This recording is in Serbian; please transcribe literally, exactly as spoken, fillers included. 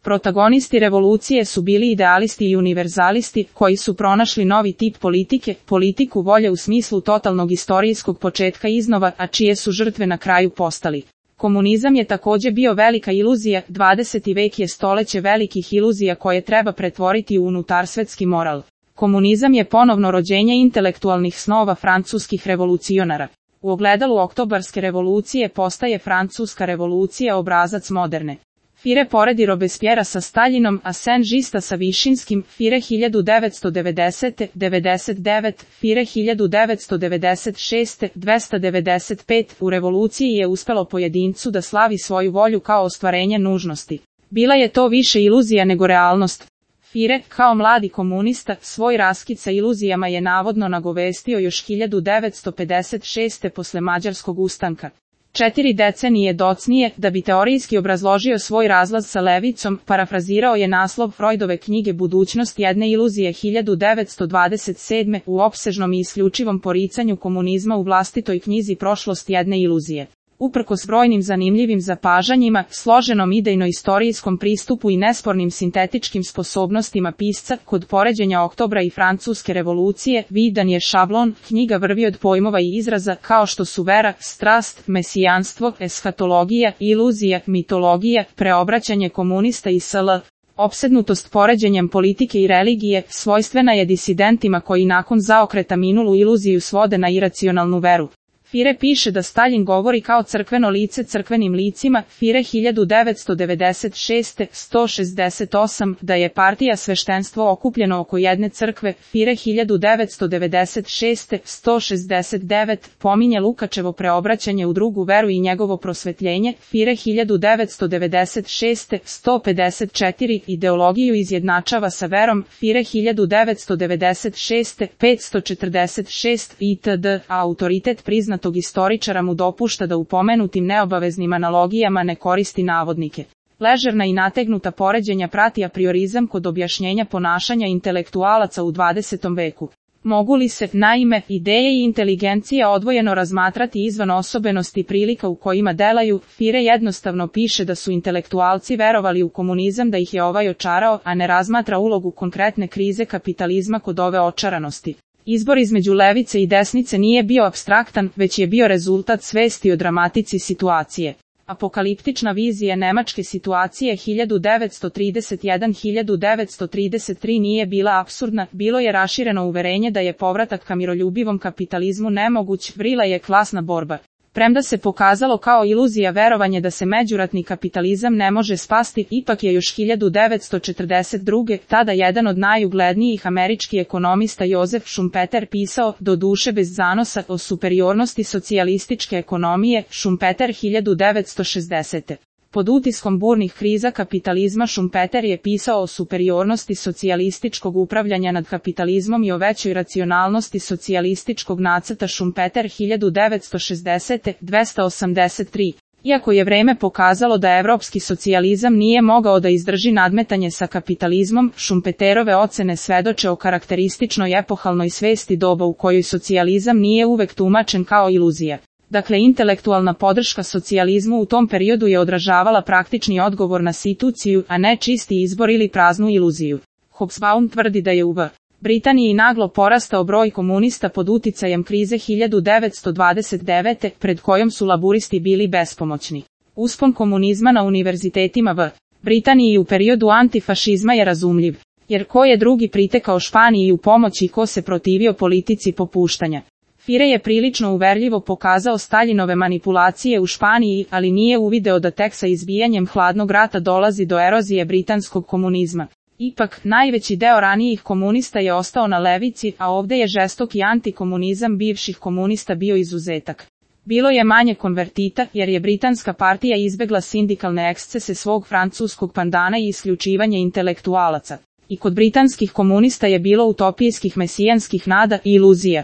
Protagonisti revolucije su bili idealisti i univerzalisti, koji su pronašli novi tip politike, politiku volje u smislu totalnog istorijskog početka iznova, a čije su žrtve na kraju postali. Komunizam je također bio velika iluzija, dvadeseti vek je stoleće velikih iluzija koje treba pretvoriti u unutarsvetski moral. Komunizam je ponovno rođenje intelektualnih snova francuskih revolucionara. U ogledalu oktobarske revolucije postaje francuska revolucija obrazac moderne. Fire poredi Robespierra sa Staljinom, a Saint-Gista sa Višinskim, Fire hiljadu devetsto devedesete. devedeset devet, Fire hiljadu devetsto devedeset šeste. dvesta devedeset pet. U revoluciji je uspelo pojedincu da slavi svoju volju kao ostvarenje nužnosti. Bila je to više iluzija nego realnost. Fire, kao mladi komunista, svoj raskid sa iluzijama je navodno nagovestio još hiljadu devetsto pedeset šeste. posle Mađarskog ustanka. Četiri decenije docnije, da bi teorijski obrazložio svoj razlaz sa levicom, parafrazirao je naslov Freudove knjige Budućnost jedne iluzije hiljadu devetsto dvadeset sedme. u opsežnom i isključivom poricanju komunizma u vlastitoj knjizi Prošlost jedne iluzije. Uprkos brojnim zanimljivim zapažanjima, složenom idejno-istorijskom pristupu i nespornim sintetičkim sposobnostima pisca, kod poređenja Oktobra i Francuske revolucije, vidan je šablon, knjiga vrvi od pojmova i izraza kao što su vera, strast, mesijanstvo, eshatologija, iluzija, mitologija, preobraćanje komunista i sl. Opsednutost poređenjem politike i religije, svojstvena je disidentima koji nakon zaokreta minulu iluziju svode na iracionalnu veru. Fire piše da Staljin govori kao crkveno lice crkvenim licima, Fire hiljadu devetsto devedeset šeste. sto šezdeset osam, da je partija sveštenstvo okupljeno oko jedne crkve, Fire hiljadu devetsto devedeset šeste. sto šezdeset devet, pominje Lukačevo preobraćanje u drugu veru i njegovo prosvetljenje, Fire hiljadu devetsto devedeset šeste. sto pedeset četiri, ideologiju izjednačava sa verom, Fire hiljadu devetsto devedeset šeste. petsto četrdeset šest, itd. A autoritet priznat tog istoričara mu dopušta da u pomenutim neobaveznim analogijama ne koristi navodnike. Ležerna i nategnuta poređenja prati apriorizam kod objašnjenja ponašanja intelektualaca u dvadesetom veku. Mogu li se, naime, ideje i inteligencija odvojeno razmatrati izvan osobenosti prilika u kojima delaju? Fire jednostavno piše da su intelektualci verovali u komunizam, da ih je ovaj očarao, a ne razmatra ulogu konkretne krize kapitalizma kod ove očaranosti. Izbor između levice i desnice nije bio apstraktan, već je bio rezultat svesti o dramatici situacije. Apokaliptična vizija nemačke situacije hiljadu devetsto trideset jedan do hiljadu devetsto trideset tri nije bila apsurdna, bilo je rašireno uverenje da je povratak ka miroljubivom kapitalizmu nemoguć, vrila je klasna borba. Premda se pokazalo kao iluzija verovanje da se međuratni kapitalizam ne može spasti, ipak je još hiljadu devetsto četrdeset druge. tada jedan od najuglednijih američkih ekonomista Joseph Schumpeter pisao, do duše bez zanosa, o superiornosti socijalističke ekonomije, Schumpeter hiljadu devetsto šezdesete. Pod utiskom burnih kriza kapitalizma Schumpeter je pisao o superiornosti socijalističkog upravljanja nad kapitalizmom i o većoj racionalnosti socijalističkog nacrta Schumpeter hiljadu devetsto šezdesete. dvesta osamdeset tri. Iako je vreme pokazalo da evropski socijalizam nije mogao da izdrži nadmetanje sa kapitalizmom, Schumpeterove ocene svedoče o karakterističnoj epohalnoj svesti doba u kojoj socijalizam nije uvek tumačen kao iluzija. Dakle, intelektualna podrška socijalizmu u tom periodu je odražavala praktični odgovor na situaciju, a ne čisti izbor ili praznu iluziju. Hobsbawm tvrdi da je u Britaniji naglo porastao broj komunista pod uticajem krize hiljadu devetsto dvadeset devete. pred kojom su laburisti bili bespomoćni. Uspon komunizma na univerzitetima v Britaniji u periodu antifašizma je razumljiv, jer ko je drugi pritekao Španiji u pomoć i ko se protivio politici popuštanja. Fire je prilično uverljivo pokazao Staljinove manipulacije u Španiji, ali nije uvideo da tek sa izbijanjem hladnog rata dolazi do erozije britanskog komunizma. Ipak, najveći deo ranijih komunista je ostao na levici, a ovde je žestoki antikomunizam bivših komunista bio izuzetak. Bilo je manje konvertita, jer je britanska partija izbegla sindikalne ekscese svog francuskog pandana i isključivanje intelektualaca. I kod britanskih komunista je bilo utopijskih mesijanskih nada i iluzija.